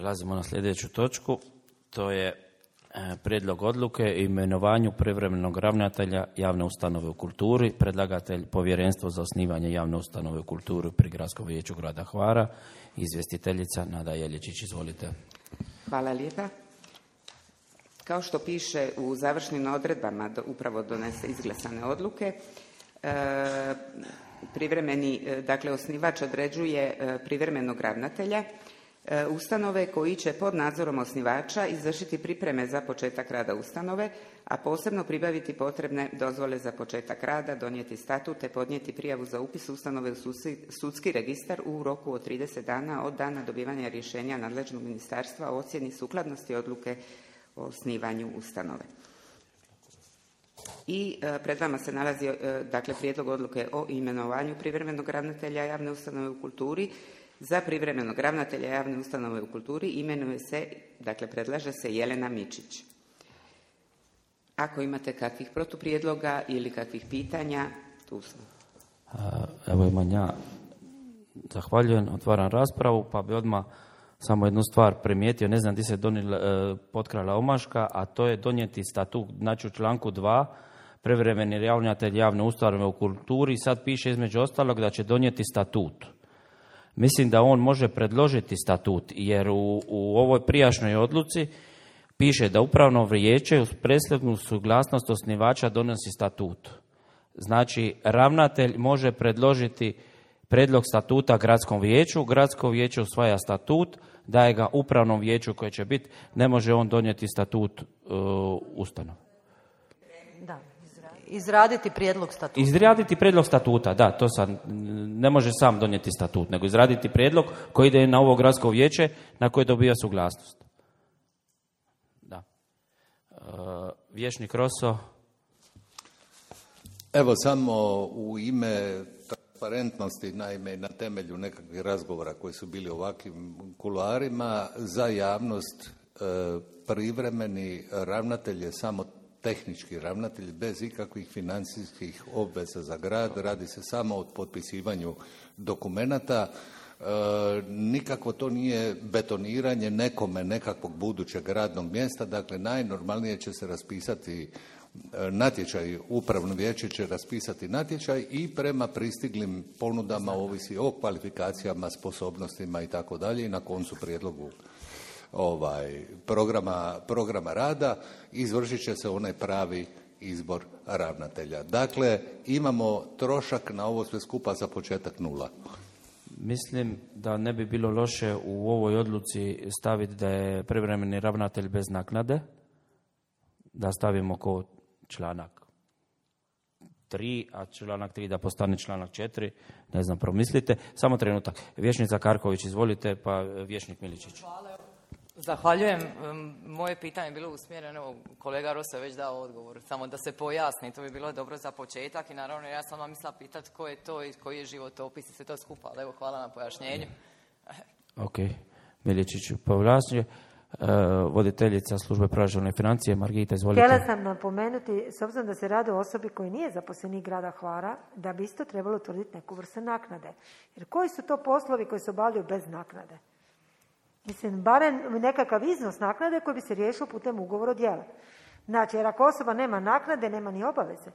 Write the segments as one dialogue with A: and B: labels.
A: Prelazimo na sljedeću točku. To je prijedlog odluke o imenovanju privremenog ravnatelja javne ustanove u kulturi. Predlagatelj Povjerenstvo za osnivanje javne ustanove u kulturi pri Gradskom vijeću grada Hvara. Izvjestiteljica Nada Jeljičić, izvolite.
B: Hvala lijepa. Kao što piše u završnim odredbama upravo izglasane odluke, osnivač određuje privremenog ravnatelja ustanove koji će pod nadzorom osnivača izvršiti pripreme za početak rada ustanove, a posebno pribaviti potrebne dozvole za početak rada, donijeti statut te podnijeti prijavu za upis ustanove u sudski registar u roku od 30 dana od dana dobivanja rješenja nadležnog ministarstva o ocjeni sukladnosti odluke o osnivanju ustanove. I pred vama se nalazi prijedlog odluke o imenovanju privremenog ravnatelja javne ustanove u kulturi. Za privremenog ravnatelja javne ustanove u kulturi predlaže se Jelena Mičić. Ako imate kakvih protuprijedloga ili kakvih pitanja, tu smo.
A: Evo imam ja. Zahvaljujem, otvaram raspravu, pa bi odmah samo jednu stvar primijetio, ne znam gdje se potkrala omaška, a to je donijeti statut. Znači u članku 2 privremeni ravnatelj javne ustanove u kulturi sad piše između ostalog da će donijeti statut. Mislim da on može predložiti statut, jer u ovoj prijašnjoj odluci piše da upravno vijeće uz prethodnu suglasnost osnivača donosi statut. Znači, ravnatelj može predložiti prijedlog statuta gradskom vijeću, gradsko vijeće usvaja statut, daje ga upravnom vijeću koje će biti, ne može on donijeti statut ustanove.
C: Da, izraditi prijedlog statuta.
A: Izraditi prijedlog statuta, da, to sad ne može sam donijeti statut, nego izraditi prijedlog koji ide na ovo gradsko vijeće na koje dobija suglasnost. Da. Vijećnik Roso.
D: Evo samo u ime transparentnosti, naime na temelju nekakvih razgovora koji su bili ovakvim kuloarima, za javnost privremeni ravnatelj je samo tehnički ravnatelj bez ikakvih financijskih obveza za grad, radi se samo o potpisivanju dokumenata. Nikako to nije betoniranje nekome nekakvog budućeg radnog mjesta, dakle najnormalnije će se raspisati natječaj, upravno vijeće će raspisati natječaj i prema pristiglim ponudama ovisi o kvalifikacijama, sposobnostima i tako dalje i na koncu prijedlogu programa rada izvršit će se onaj pravi izbor ravnatelja. Dakle, imamo trošak na ovo sve skupa za početak 0.
A: Mislim da ne bi bilo loše u ovoj odluci staviti da je privremeni ravnatelj bez naknade, da stavimo ko članak 3, a članak 3 da postane članak 4, ne znam, promislite. Samo trenutak. Vijećnica Karković, izvolite, pa vijećnik Miličić.
E: Hvala. Zahvaljujem. Moje pitanje je bilo usmjereno, kolega Rosa je već dao odgovor, samo da se pojasni, to bi bilo dobro za početak i naravno ja sam vam mislila pitati ko je to i koji je životopis i sve to skupa, ali evo hvala na pojašnjenju.
A: Ok, Miličić povlačenje. Voditeljica službe proračuna i financije, Margita, izvolite.
C: Htjela sam napomenuti, s obzirom da se radi o osobi koji nije zaposlenik grada Hvara, da bi isto trebalo utvrditi neku vrstu naknade. Jer koji su to poslovi koji se obavljaju bez naknade? Mislim, barem nekakav iznos naknade koji bi se riješio putem ugovora o djelu. Znači, jer ako osoba nema naknade, nema ni obaveze.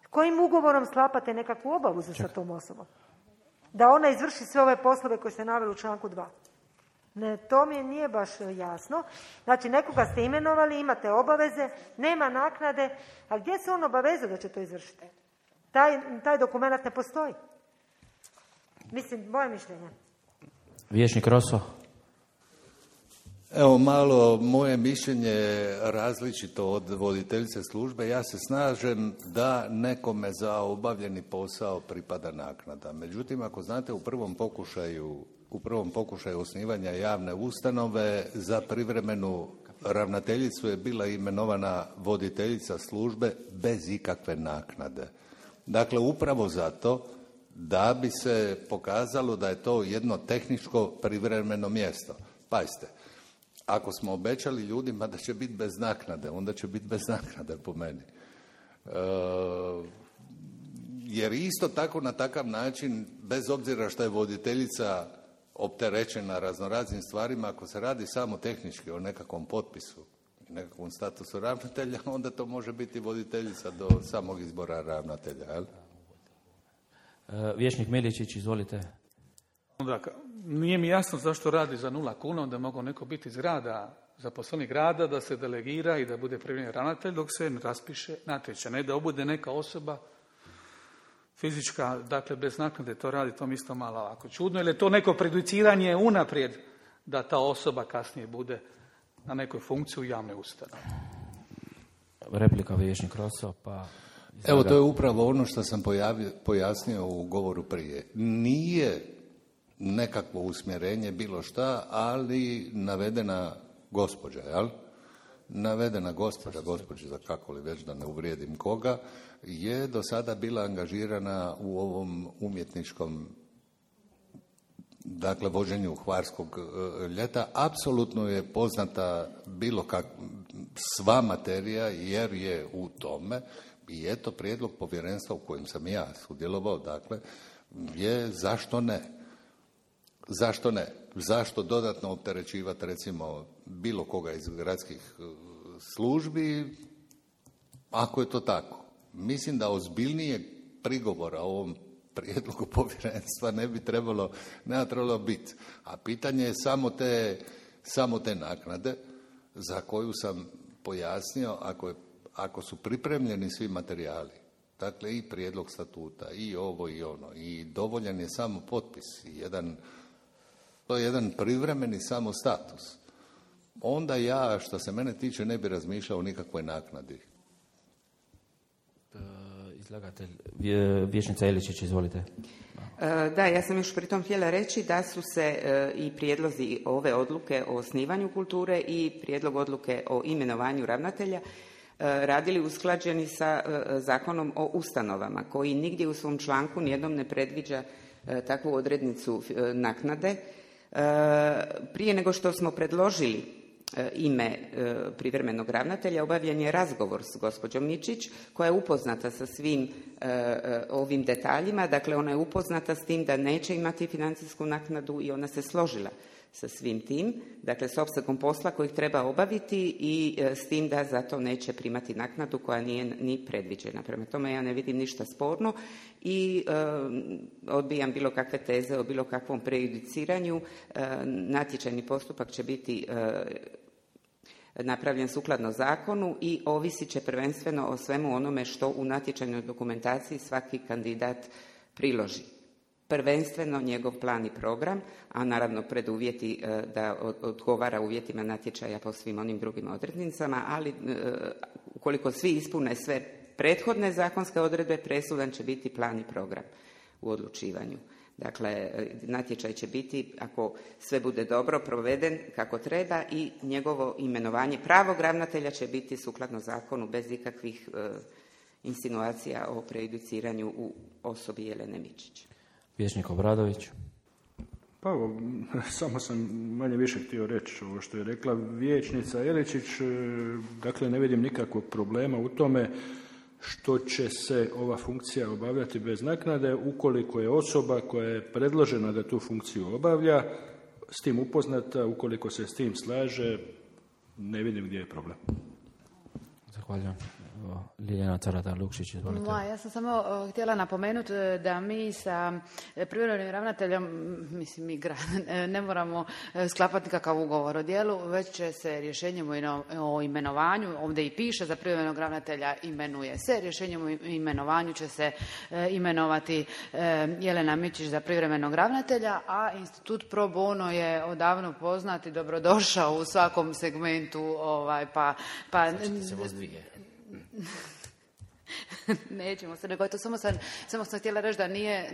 C: Kojim ugovorom sklapate nekakvu obavezu sa tom osobom? Da ona izvrši sve ove poslove koje ste naveli u članku 2. Ne, to mi nije baš jasno. Znači, nekoga ste imenovali, imate obaveze, nema naknade, a gdje se on obavezao da će to izvršiti? Taj dokument ne postoji. Mislim, moje mišljenje.
A: Vijećnik Roso.
D: Evo malo moje mišljenje različito od voditeljice službe. Ja se slažem da nekome za obavljeni posao pripada naknada. Međutim, ako znate, u prvom pokušaju osnivanja javne ustanove za privremenu ravnateljicu je bila imenovana voditeljica službe bez ikakve naknade. Dakle, upravo zato da bi se pokazalo da je to jedno tehničko privremeno mjesto. Pazite, ako smo obećali ljudima da će biti bez naknade, onda će biti bez naknade po meni. Jer isto tako na takav način, bez obzira što je voditeljica opterećena raznoraznim stvarima. Ako se radi samo tehnički o nekakvom potpisu i nekakvom statusu ravnatelja, onda to može biti voditeljica do samog izbora ravnatelja. Jel?
A: Vijećnik Miličić, izvolite.
F: Onda, nije mi jasno zašto radi za 0 kuna, onda mogu neko biti iz grada, zaposlenik grada, da se delegira i da bude privremeni ravnatelj dok se ne raspiše natječaj. Ne da obude neka osoba fizička, dakle bez naknade to radi, to mi isto malo ovako čudno. Ili je to neko prejudiciranje unaprijed da ta osoba kasnije bude na nekoj funkciji u javnoj ustanovi.
A: Replika vijećnik Roso, pa...
D: Evo, to je upravo ono što sam pojasnio u govoru prije. Nije nekakvo usmjerenje bilo šta, ali navedena gospođa, jel? Navedena gospođa, kako li već da ne uvrijedim koga, je do sada bila angažirana u ovom umjetničkom, dakle, vođenju Hvarskog ljeta. Apsolutno je poznata sva materija, jer je u tome, i eto prijedlog povjerenstva u kojem sam ja sudjelovao, dakle, je zašto ne? Zašto ne? Zašto dodatno opterećivati, recimo, bilo koga iz gradskih službi, ako je to tako? Mislim da ozbiljnije prigovora o ovom prijedlogu povjerenstva ne bi trebalo biti. A pitanje je samo te naknade, za koju sam pojasnio, ako su pripremljeni svi materijali, dakle i prijedlog statuta, i ovo i ono, i dovoljan je samo potpis, to je jedan privremeni samo status, onda ja, što se mene tiče, ne bi razmišljao o nikakvoj naknadi.
A: Izlagatelj, vijećnica Iličić, izvolite.
B: Da, ja sam još pritom htjela reći da su se i prijedlozi ove odluke o osnivanju kulture i prijedlog odluke o imenovanju ravnatelja radili usklađeni sa Zakonom o ustanovama, koji nigdje u svom članku nijednom ne predviđa takvu odrednicu naknade. Prije nego što smo predložili ime privremenog ravnatelja, obavljen je razgovor s gospođom Mičić, koja je upoznata sa svim ovim detaljima. Dakle, ona je upoznata s tim da neće imati financijsku naknadu i ona se složila sa svim tim, dakle s opsegom posla kojeg treba obaviti i s tim da zato neće primati naknadu koja nije ni predviđena. Prema tome ja ne vidim ništa sporno i odbijam bilo kakve teze o bilo kakvom prejudiciranju. Natječajni postupak će biti napravljen sukladno zakonu i ovisit će prvenstveno o svemu onome što u natječajnoj dokumentaciji svaki kandidat priloži. Prvenstveno njegov plan i program, a naravno preduvjeti da odgovara uvjetima natječaja po svim onim drugim odrednicama, ali ukoliko svi ispune sve prethodne zakonske odredbe, presudan će biti plan i program u odlučivanju. Dakle, natječaj će biti, ako sve bude dobro proveden kako treba, i njegovo imenovanje pravog ravnatelja će biti sukladno zakonu bez ikakvih insinuacija o prejudiciranju u osobi Jelene Mičić.
A: Vijećnik Obradović.
G: Pa evo, samo sam manje više htio reći ovo što je rekla vijećnica Iličić. Dakle, ne vidim nikakvog problema u tome što će se ova funkcija obavljati bez naknade ukoliko je osoba koja je predložena da tu funkciju obavlja s tim upoznata, ukoliko se s tim slaže, ne vidim gdje je problem.
A: Zahvaljujem. Ljiljana Caratar-Lukšić, izvolite.
H: Ja sam samo htjela napomenuti da mi sa privremenim ravnateljem, mislim mi ne moramo sklapati nikakav ugovor o djelu, već će se rješenjem o imenovanju, ovdje i piše za privremenog ravnatelja imenuje se, rješenjem o imenovanju će se imenovati Jelena Mičić za privremenog ravnatelja, a institut pro bono je odavno poznat i dobrodošao u svakom segmentu, pa
A: Znači se voz dvije.
H: Nećemo se, nego to samo sam htjela reći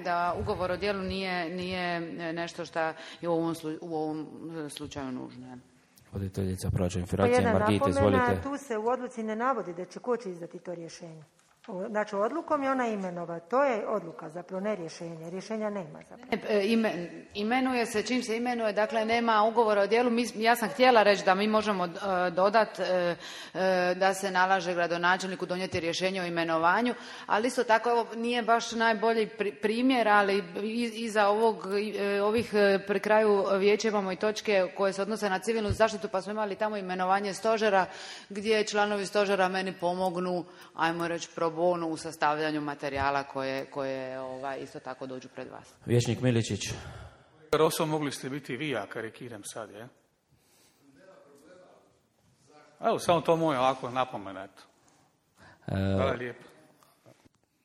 H: da ugovor o djelu nije nešto što je u ovom slučaju nužno.
A: Voditeljica proračuna financija Margita, izvolite.
C: Tu se u odluci ne navodi da će ko će izdati to rješenje. Znači, odlukom je ona imenova. To je odluka, zapravo ne rješenje. Rješenja nema zapravo.
H: Imenuje se, čim se imenuje, dakle nema ugovora o djelu. Ja sam htjela reći da mi možemo dodati da se nalaže gradonačelniku donijeti rješenje o imenovanju, ali isto tako ovo nije baš najbolji primjer, ali iza ovih pri kraju vijeća imamo i točke koje se odnose na civilnu zaštitu, pa smo imali tamo imenovanje stožera gdje članovi stožera meni pomognu, ajmo reći, pro bono u sastavljanju materijala koje isto tako dođu pred vas.
A: Vijećnik Miličić.
F: Roso, mogli ste biti vi, ja karikiram sad, je? Evo, samo to moje ovako napomenat. Hvala lijepo.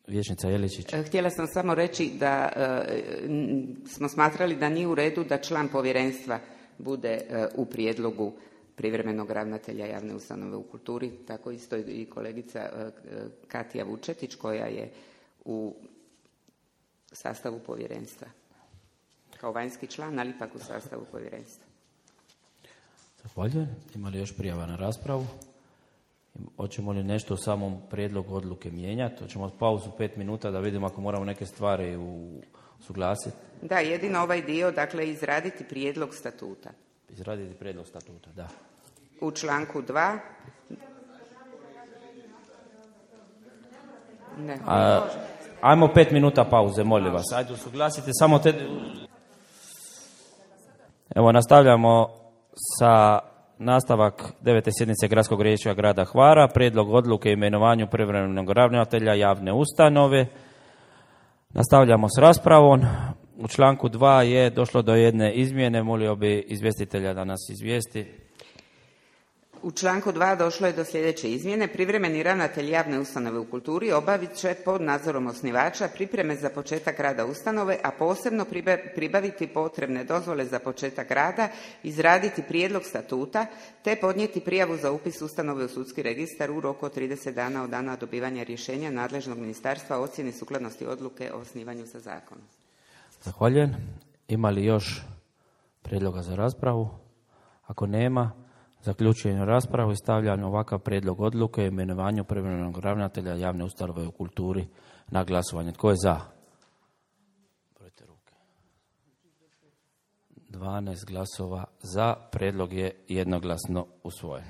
A: Vijećnica Jeličić.
B: Htjela sam samo reći da smo smatrali da nije u redu da član povjerenstva bude u prijedlogu privremenog ravnatelja javne ustanove u kulturi, tako isto i kolegica Katija Vučetić koja je u sastavu povjerenstva. Kao vanjski član, ali ipak u sastavu povjerenstva.
A: Zahvaljujem. Ima li još prijava na raspravu? Hoćemo li nešto u samom prijedlogu odluke mijenjati? Hoćemo pauzu 5 minuta da vidimo ako moramo neke stvari usuglasiti?
B: Da, jedino ovaj dio, dakle, izraditi prijedlog statuta.
A: Izraditi prijedlog statuta, da.
B: U članku 2. Ne.
A: Ajmo 5 minuta pauze, molim vas. Ajde, usuglasite samo te... Evo, nastavljamo sa nastavak 9. sjednice Gradskog vijeća grada Hvara, prijedlog odluke o imenovanju privremenog ravnatelja javne ustanove. Nastavljamo s raspravom. U članku 2 je došlo do jedne izmjene, molio bi izvjestitelja da nas izvijesti.
B: U članku 2 došlo je do sljedeće izmjene. Privremeni ravnatelj javne ustanove u kulturi obavit će pod nadzorom osnivača pripreme za početak rada ustanove, a posebno pribaviti potrebne dozvole za početak rada, izraditi prijedlog statuta, te podnijeti prijavu za upis ustanove u sudski registar u roku od 30 dana od dana dobivanja rješenja nadležnog ministarstva o ocjeni sukladnosti odluke o osnivanju sa zakonom.
A: Zahvaljujem. Ima li još prijedloga za raspravu? Ako nema, zaključujem raspravu i stavljam ovakav prijedlog odluke o imenovanju privremenog ravnatelja javne ustanove u kulturi na glasovanje. Tko je za? Brojte ruke. 12 glasova za, prijedlog je jednoglasno usvojen.